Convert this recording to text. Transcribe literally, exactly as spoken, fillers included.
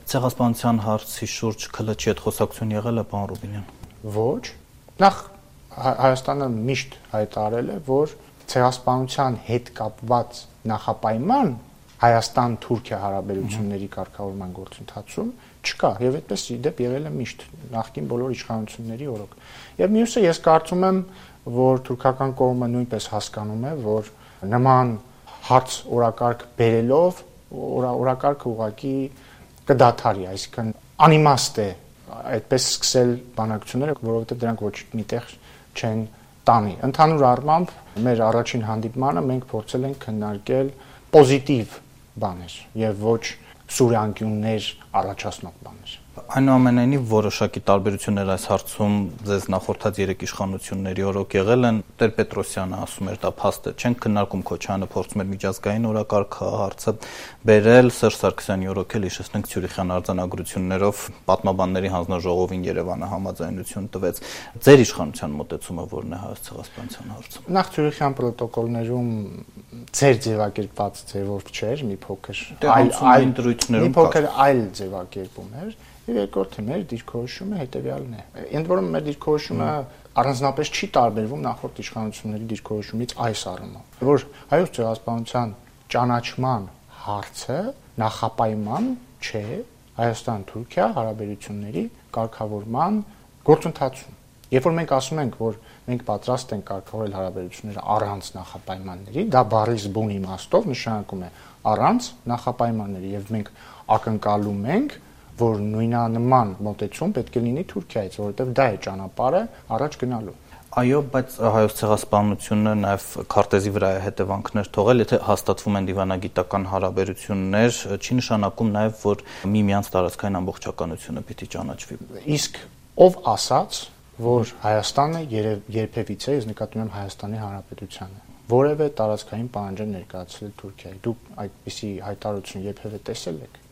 Ցեղասպանության հարցի շուրջ K L Չ-ի հետ խոսակցություն եղել է, պարոն Ռուբինյան։ Ոչ։ Նախ Հայաստանը միշտ հայտարարել է, որ ցեղասպանության հետ կապված նախապայման Հայաստան-Թուրքիա հարաբերությունների կարգավորման գործընթացում չկա, եւ այդպես ի դեպ եղել է միշտ նախկին բոլոր իշխանությունների օրոք։ Եվ մյուսը ես կարծում եմ, որ թուրքական կողմը նույնպես հասկանում է, որ նման հարց օրակարգ բերելով օրակարգը ուղղակի կդադարի, այսինքն անիմաստ է այդպես սկսել բանակցությունները, որովհետեւ դրանք ոչ միտեղ չեն տանի։ Ընդհանուր առմամբ մեր առաջին հանդիպմանը մենք փորձել ենք քննարկել պոզիտիվ բաներ եւ ոչ սուր անկյուններ առաջացնող բաներ։ Այնուամենայնիվ որոշակի տարբերություններ այս հարցում ձեզ նախորդած երեք իշխանությունների օրոք եղել են։ Տեր-Պետրոսյանը ասում էր դա փաստ է, չենք քննարկում, Քոչարյանը փորձում էր միջազգային օրակարգ հարցը բերել, Սերժ Սարգսյանի օրոք էլ հիշեցնենք Ցյուրիխյան արձանագրություններով պատմաբանների հանձնաժողովին Երևանը համաձայնություն տվեց։ Ձեր իշխանության մոտեցումը ո՞րն է հայոց ցեղասպանության հարցում։ Նախ Ցյուրիխյան պրոտոկոլներում ձեր ձևակերպված ձևով չէր, մի փոքր այլ այլ դրույթներում մի փոքր այլ ձևակերպում էր։ Եվ երկրորդը մեր դիրքորոշումը հետեւյալն է։ Ընդ որում մեր դիրքորոշումը առանձնապես չի տարբերվում նախորդ իշխանությունների դիրքորոշումից այս առումով, որ հայոց ցեղասպանության ճանաչման հարցը նախապայման չէ Հայաստան-Թուրքիա հարաբերությունների կարգավորման գործընթացում։ Երբ որ մենք ասում ենք, որ մենք պատրաստ ենք կարգավորել հարաբերությունները առանց նախապայմանների, դա բառից բուն իմաստով նշանակում է առանց նախապայմանների, եւ մենք ակնկալում ենք, որ նույնանման մոտեցում պետք է լինի Թուրքիայից, որովհետև դա է ճանապարհը առաջ գնալու։ Այո, բայց հայոց ցեղասպանությունը նաև քարտեզի վրա է հետևանքներ թողել, եթե հաստատվում են դիվանագիտական հարաբերություններ, չի նշանակում նաև, որ միմյանց տարածքային ամբողջականությունը պիտի ճանաչվի։ Իսկ ով ասաց, որ Հայաստանը երբևիցե, ես նկատում եմ Հայաստանի Հանրապետությանը, որևէ տարածքային պահանջ է ներկայացրել Թուրքիայի։ Դուք այդպիսի հայտարարություն երբևէ տեսել եք։